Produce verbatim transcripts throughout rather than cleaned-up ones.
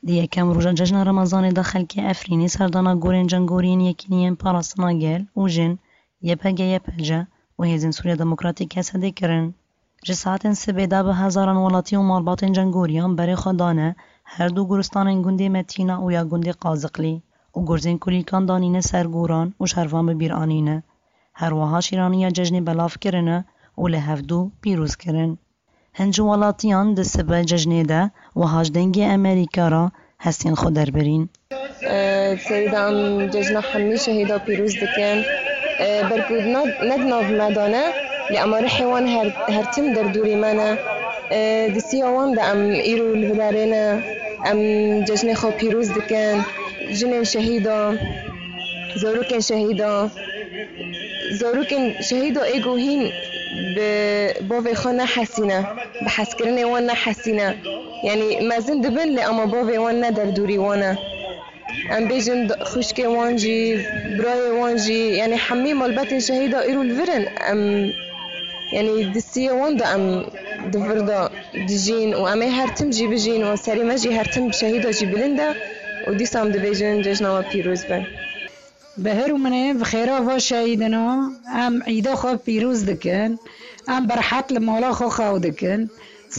Di yekem roja cejna Remezanê de xelkê Efrînê serdana gorên cengoriyên Yekîniyên Parastina Gel û Jin, Y P G Y P C û Hêzên Sûriya Demokratîk H S D'ê kirin. Ji saetên sibê de bi hezaran welatî û malbatên cengoriyan berê xwe dane her du goristanên gundê Metîna û ya gundê Qaziqlî û gurzên kulîlkan danîne ser goran û şervan bi bîr anîne. Her wiha şîraniya cejnê belav kirine û li hevdû pîroz kirin. Hin ji welatiyan di sibe cejnê de wiha ji Dengê Amerîka re hestên xwe derbirîn. Serî de em cejna hemî şehîda pîroz dikin. Ber ku ne, ne di nav me de ne, lê ema rihê wan her, her tim derdorî me ne. Di siya wan de em îro li vidarê ne. Em cejnê xwe pîroz dikin. Jinên şehîda, zarokên şehîda, zarokên şehîda ê ku hîn bi bavê xwe nehesîne, bi hezkirinê wan nehesîne. Yanî mezin dibin lê ema bavê wan ne derdorî wan e. Em bêjin xwişkê wan jî, birayê wan jî, yanî hemî malbetên şehîda îro li vir in. Em, yanî di siyê wan de em di vir de dijîn û em ê her tim jî bijîn û serê me jî her tim bi şehîda jî bilind e û dîsa em dibêjin cejna we pîroz be. Bi her û minê bi xêra va şehîdina em îda xwe pîroz dikin. Em bi rehet li mala xwe xew dikin.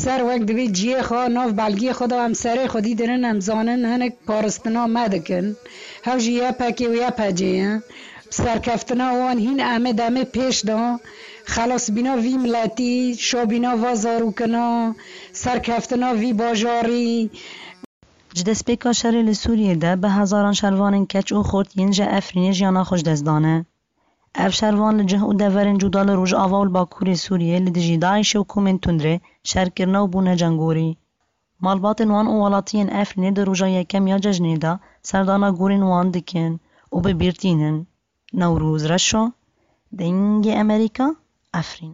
Ser wek divê ciyê xwe nav belgiyê xwe de em serê xwedî dirin, em zanin hinek paristina me dikin. Hew jî Y P G û Y P C ye. Bi serkeftina wan hîn em ê demê pêş de xelasbîna vî miletî, şabîna va zarokina, serkeftina vî bajarî. Ji destpêka şerê li Sûriyê de bi hezaran şervanên keç û xurt yên ji Efrînê jiyana xwe ji dest dane. Ev şervan li cih û deverên cuda li Rojava û li Bakurê Sûriyê li dijî DAIŞê û komên tundrê şer kirine û bûne cengorî. Malbatên wan û welatiyên Efrînê di roja yekem ya cejnê de serdana gorên wan dikin û bi bîr tînin. Newroz Reşo, Dengê Amerîka, Efrîn.